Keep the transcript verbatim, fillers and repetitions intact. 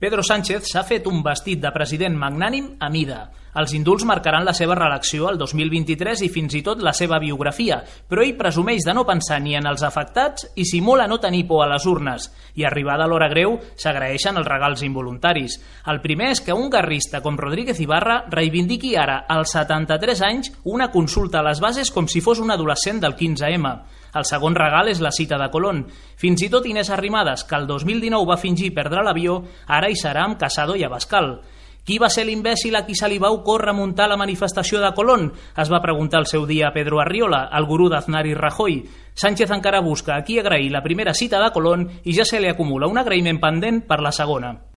Pedro Sánchez s'ha fet un vestit de president magnànim a mida. Els indults marcaran la seva reelecció el dos mil vint-i-tres i fins i tot la seva biografia, però ell presumeix de no pensar ni en els afectats i simula no tenir por a les urnes. I arribada l'hora greu, s'agraeixen els regals involuntaris. El primer és que un guerrista com Rodríguez Ibarra reivindiqui ara, als setanta-tres anys, una consulta a les bases com si fos un adolescent del quinze ema. El segon regal és la cita de Colón. Fins i tot Inés Arrimadas, que el dos mil dinou va fingir perdre l'avió, ara hi serà amb Casado i Abascal. Qui va ser l'imbècil a qui se li va ocórrer muntar la manifestació de Colón? Es va preguntar el seu dia a Pedro Arriola, el gurú d'Aznar i Rajoy. Sánchez encara busca a qui agrair la primera cita de Colón i ja se li acumula un agraïment pendent per la segona.